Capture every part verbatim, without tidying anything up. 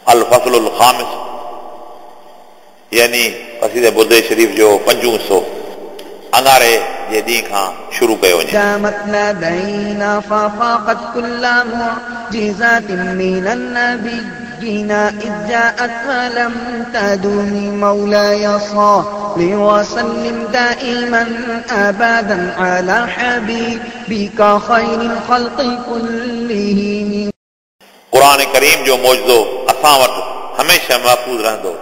الفصل الخامس यानी क़सीदे बुर्दे शरीफ़ जो पंजूं हिसो अंगारे जे ॾींहं खां शुरू कयो वञे। دامت لدينا ففاقت كل معجزات من النبيين إذ جاءت ولم تدم مولاي صل وسلم دائما أبدا على حبيبك خير الخلق كلهم। क़ुरान करीम जो मौजज़ो असां वटि हमेशह महफ़ूज़ रहंदो।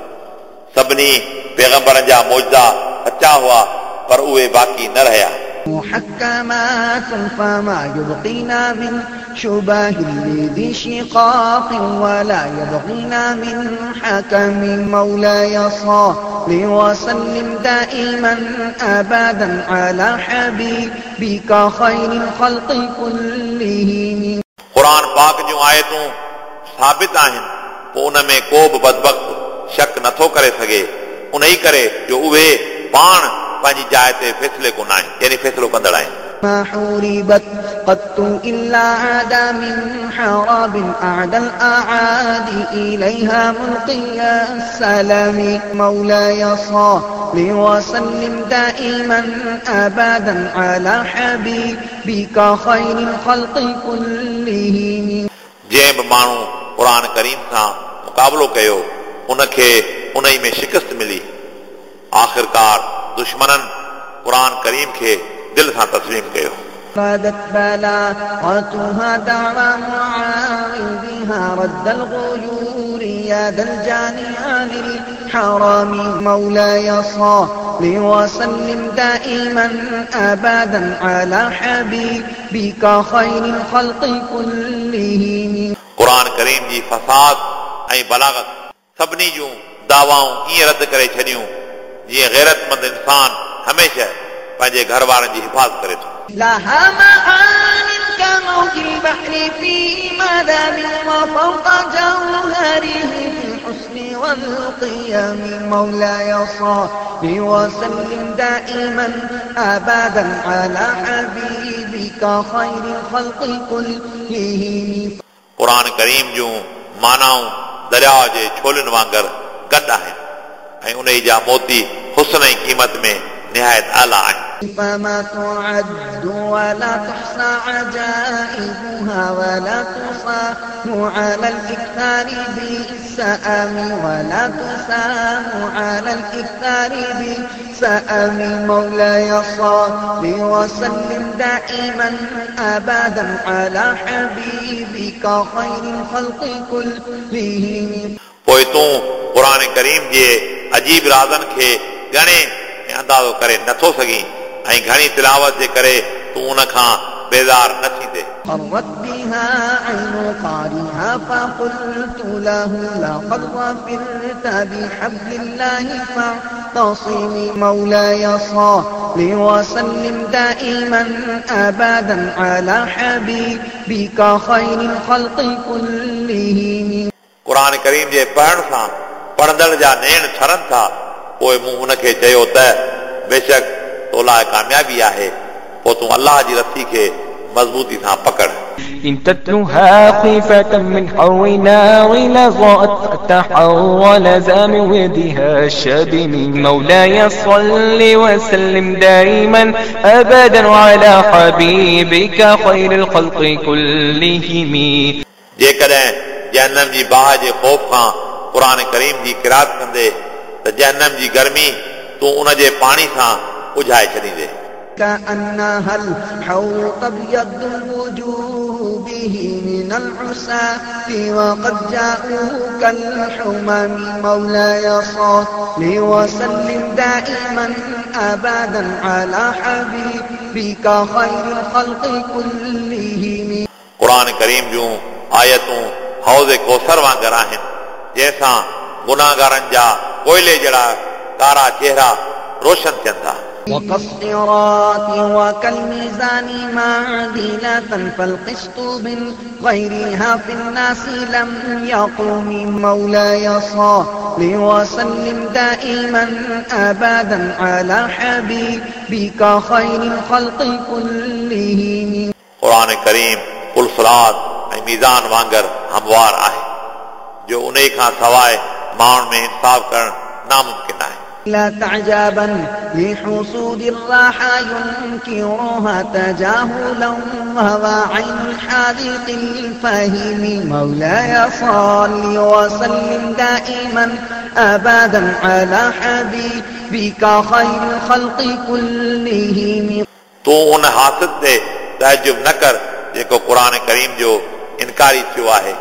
सभिनी पैगंबरनि जा मौजज़ा सचा हुआ पर उहे बाक़ी न रहिया। محكمات فما يبقينا من شبه لذي شقاق ولا يبغينا من حكم مولاي صل وسلم دائما أبدا على حبيبك خير الخلق كلهم। क़ुरान पाक जूं आयतूं साबित आहिनि, पोइ उन में को बि बदबख़्त शक नथो करे सघे, उन ई करे जो उहे पाण पंहिंजी जाइ ते फ़ैसिले कोन आहिनि, यानी फ़ैसिलो कंदड़ आहिनि। ما حوربت قط إلا عاد من حراب أعدى الأعادي إليها ملقي السلام مولاي صل وسلم دائما أبدا على حبيبك خير الخلق كلهم। जंहिं बि माण्हू क़ुरान करीम सां मुक़ाबिलो कयो उनखे उन ई में शिकस्त मिली। आख़िरकार दुश्मननि क़ुरान करीम खे दिल सां तस्लीम कयो। ردت بلاغتها دعوى معاوضها رد الغيور يا ذا الجاني عن الحرام مولاي صل وسلم دائما أبدا على حبيبك خير الخلق كلهم। क़ुरान करीम जी फसाद ऐं बलागत सभिनी जूं दावाऊं ईअं रद्द करे छॾियूं जीअं ग़ैरतमंद इंसान हमेशह पंहिंजे घर वारनि जी हिफ़ाज़त करे थो। لها معان كموج البحر في مذاب وفوق جوهره في الحسن والقيم مولاي صل وسلم دائما أبدا على حبيبك خير الخلق كلهم। क़ुरान करीम जूं मानाऊं दरिया जे छोलियुनि वांगुरु गॾु आहिनि ऐं उन जा मोती हुस्न ऐं क़ीमत में निहायत आला आहिनि। فما تعد ولا تحصى عجائبها ولا تصان على الإكثار بالسآم ولا تسام على الإكثار بالسآم مولاي صل وسلم دائما أبدا على حبيبك خير الخلق كلهم। पोइ तूं क़ुरान करीम जे अजीब राज़नि खे ॻणे ऐं अंदाज़ो करे नथो सघीं ऐं घणी तिलावत जे करे तूं उन खां बेज़ार न थींदे। قرت بها عين قارئها فقلت له لقد ظفرت بحبل الله فاعتصم مولاي صل وسلم دائما أبدا على حبيبك خير الخلق كلهم। क़ुरान करीम जे पढ़ण सां पढ़ंदड़ जा नेण ठरनि था। पोइ मूं हुनखे चयो त बेशक तो लाइ कामयाबी आहे, पोइ तूं अल्लाह जी रसी खे मज़बूती सां पकड़। إن تتلها خيفة من حر نار لظى فتحول زام ودها الشبم مولاي صل وسلم دائما أبدا على حبيبك خير الخلق كلهم। जेकॾहिं जहन्नम जी बाहि जे ख़ौफ़ खां क़ुरान करीम जी क़िरात कंदे त जहन्नम जी गर्मी तूं उन जे पाणी सां उझाए छॾींदे। كأنها الحور تبيض الوجوه به من العساة وقد جاءوا كالحمم مولاي صل وسلم دائما أبدا على حبيبك خير الخلق كلهم। क़ुरान करीम जूं आयतूं हौज़ कौसर वांगुरु आहिनि, जंहिंसां गुनाहगारनि जा कोयले जहिड़ा कारा चेहरा रोशन थियनि था। وكالصراط وكالميزان معدلة فالقسط من غيرها في الناس لم يقم مولاي صل وسلم دائما أبدا على حبيبك خير الخلق كلهم। क़ुरान करीम पुल सिरात ऐं मीज़ान वांगुरु हमवार आहे। जो उन खां सवाइ माण्हुनि में इंसाफ़ करणु नामुमकिन आहे। لا تعجبا لحصول الراحة ينكرها تجاهلا وهو عين الحاذق الفهيم مولاي صل وسلم دائما أبدا على حبيبك خير الخلق كلهم। तूं उन हासिद ते तअजुब न कर जेको क़ुर करीम जो इनकारी थियो आहे,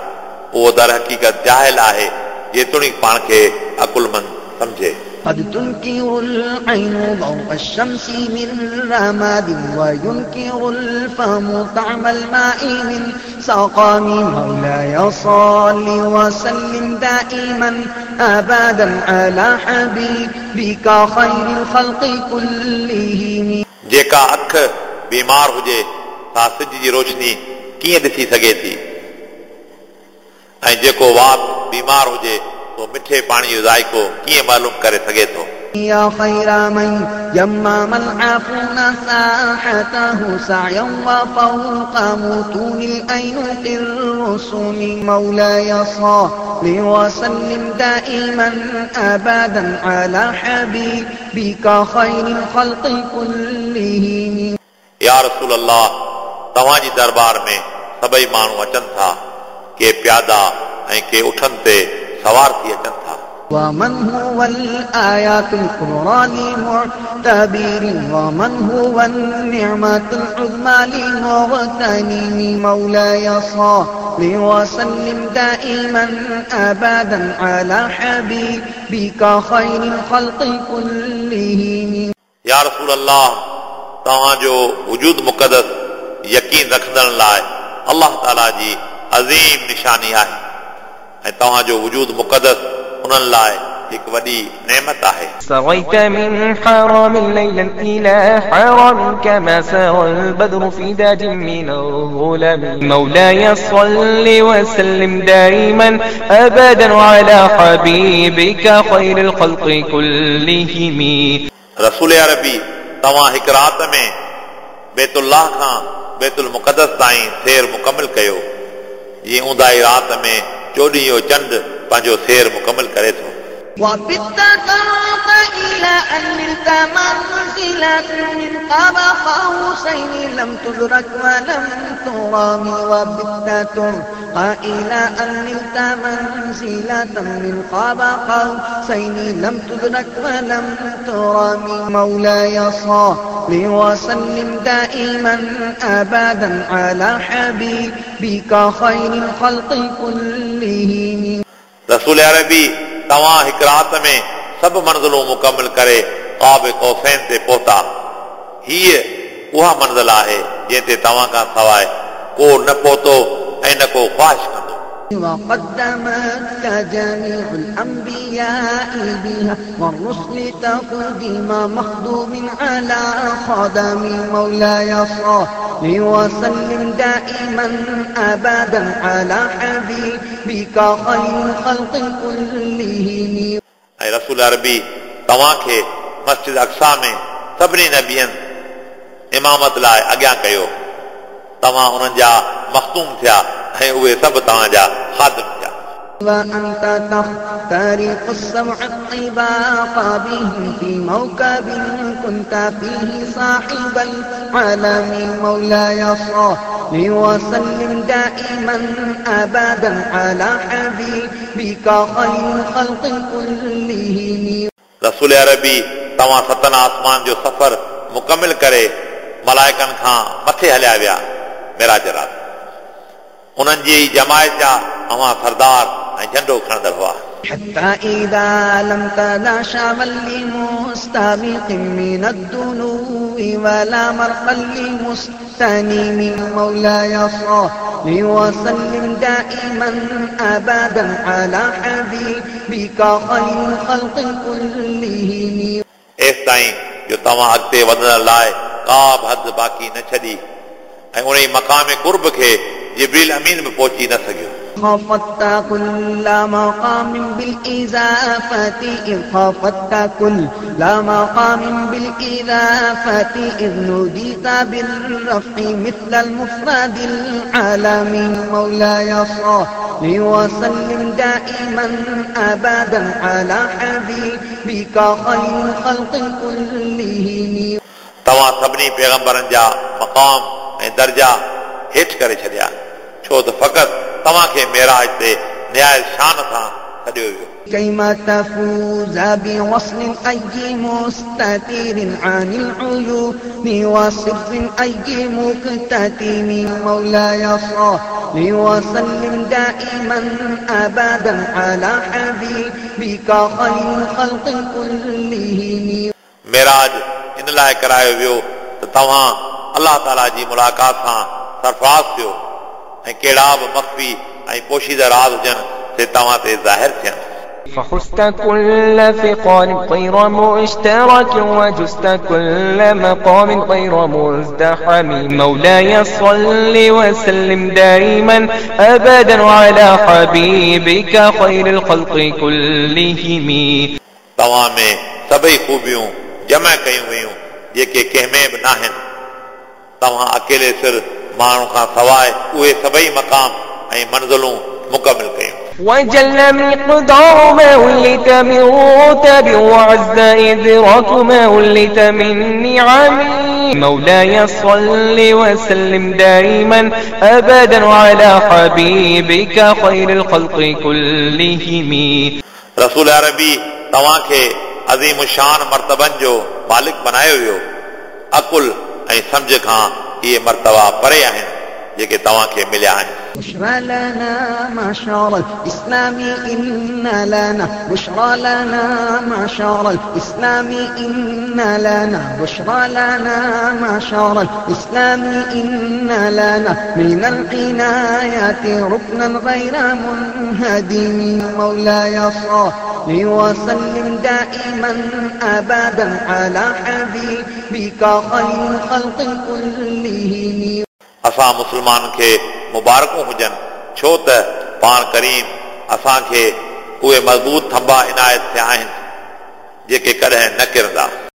उहो दर हक़ीक़त जाहिल आहे, जेतोणीकि पाण खे अकुलमंद सम्झे। قد تنكر العين ضوء الشمس من رماد وينكر الفم طعم الماء من سقام مولاي صل وسلم دائما أبدا على حبيبك خير الخلق كلهم। जेका अख बीमार हुजे सा सिज जी रोशनी कीअं ॾिसी सघे थी, ऐं जेको वात बीमार हुजे तो मिठे पाणी जो ज़ाइक़ो कीअं मालूम करे सघे थो। يا خير من يمام العافون ساحته سعيا وفوق متون الأينق الرسم مولاي صل وسلم دائما أبدا على حبيبك خير الخلق كلهم। या रसूल अल्लाह, तव्हांजी दरबार में सभई माण्हू अचनि था, के प्यादा ऐं के उठनि ते सवार थी अचनि था। ومن هو الآيات القرآن معتبر ومن هو النعمة العظمى لمغتنم مولاي صل وسلم دائما أبدا على حبيبك خير الخلق كلهم। या रसूल अल्लाह, तव्हांजो वजूद मुक़दस यकीन रखंदड़ लाइ अल्लाह ताला जी अज़ीम निशानी आहे, ऐं तव्हांजो वजूद मुक़दस उन्हनि लाइ हिकु वॾी नेमत आहे। سريت من حرم ليلا إلى حرم كما سرى البدر في داج من الظلم مولاي صل وسلم دائما أبدا على حبيبك خير الخلق كلهم। रसूल अरबी, तव्हां हिकु राति में बैतुल्लाह खां बैतुल मुक़दस ताईं सैर मुकमल कयो, जीअं ऊंदाई राति में चोॾहीं जो चंड पंहिंजो सैर मुकमल करे थो। وبت ترق إلى أن نلت منزلة من قاب قوسين لم تدرك ولم ترام وبت ترق إلى أن نلت منزلة من قاب قوسين لم تدرك ولم ترام مولاي صل وسلم دائما أبدا على حبيبك خير الخلق كلهم। रसूल अरबी, तव्हां हिकु राति में सभु मंज़िलूं मुकमल करे क़ाब कौसैन ते पहुता। हीअ उहा मंज़िल आहे जंहिं ते तव्हां खां सवाइ को न पहुतो ऐं न को ख़्वाहिश कंदो। وقدمتك جميع الأنبياء بها والرسل تقديم مخدوم على خدم مولاي صل وسلم دائما أبدا على حبيبك خير الخلق كلهم। ऐं रसूल अरबी, तव्हांखे मस्जिद अक़सा में सभिनी नबियनि इमामत लाइ अॻियां कयो, तव्हां उन्हनि जा मख़दूम थिया ऐं उहे सभु तव्हांजा ख़ादिम थिया। وأنت تخترق السبع الطباق بهم في موكب كنت فيه صاحب العالم مولاي صل وسلم دائما أبدا على حبيبك خير الخلق كلهم। रसूल अरबी, तव्हां सतनि आसमान जो सफ़र मुकमल करे मलाइकनि खां मथे हलिया विया मेराज राति। उन्हनि जी जमायत जा अव्हां सरदार ऐं झंडो खणंदड़ हुआ। حتى إذا لم تدع شعبا لمستبق من الدنو ولا مرقا لمستنيم مولاي صل وسلم دائما أبدا على حبيبك خير الخلق كلهم। एसि ताईं जो तव्हां अॻिते वधण लाइ का बि हद बाक़ी न छॾी ऐं उन मक़ाम कुर्ब खे जिब्रील अमीन बि पहुची न सघियो। خفضت كل مقام بالإزافة إذ خفضت كل مقام بالإضافة إذ نوديت بالرفع مثل المفرد العالمي مولاي صل وسلم دائما أبدا على حبيبك خير الخلق كلهم. तव्हां सभिनी पैगंबरनि जा मक़ाम ऐं दर्जा हेठि करे छॾिया, छो त फ़क़ति तव्हांखे मेराज ते निहायत शान सां सॾियो वियो। كيما تفوز بوصل أي مستتير عن العيون وسر أي مكتتم. مولاي صل وسلم دائما أبدا على حبيبك خير الخلق كلهم. मेराज इन लाइ करायो वियो त तव्हां अलाह ताला जी मुलाक़ात सां सरफ़राज़ थियो ऐं कहिड़ा बि मख़फ़ी ऐं पोशीदा राज़ हुजनि ते तव्हां ते ज़ाहिर थियनि। فحزت كل ثقال غير مشترك وجزت كل مقام غير مزدحم. مولاي صل وسلم دائما أبدا على حبيبك خير الخلق كلهم. तव्हां में सभई ख़ूबियूं जमा कयूं वयूं जेके कंहिं में बि नाहिनि। तव्हां अकेले सिर माण्हू खां सवाइ उहे सभई मक़ाम ऐं मंज़िलूं मुकमिल कयूं। وجل مقدار ما ولت من رتب وعز إدراك ما ولت من نعم. مولاي صل وسلم دائما أبدا على حبيبك خير الخلق كلهم. रसूल अरबी तव्हांखे अज़ीम शान मर्तबनि जो मालिक बनायो वियो। अकुल ऐं सम्झ खां इहे मर्तबा परे आहिनि जेके तव्हांखे मिलिया आहिनि। بشرى لنا معشر الإسلام إن لنا بشرى لنا معشر الإسلام إن لنا بشرى لنا معشر الإسلام إن لنا من العناية ركنا غير منهدم. مولاي صل وسلم دائما أبدا على حبيبك خير الخلق كلهم. असां मुस्लमाननि खे मुबारकूं हुजनि, छो त पाण करीम असांखे उहे मज़बूत थंबा इनायत थिया आहिनि जेके कॾहिं न किरंदा।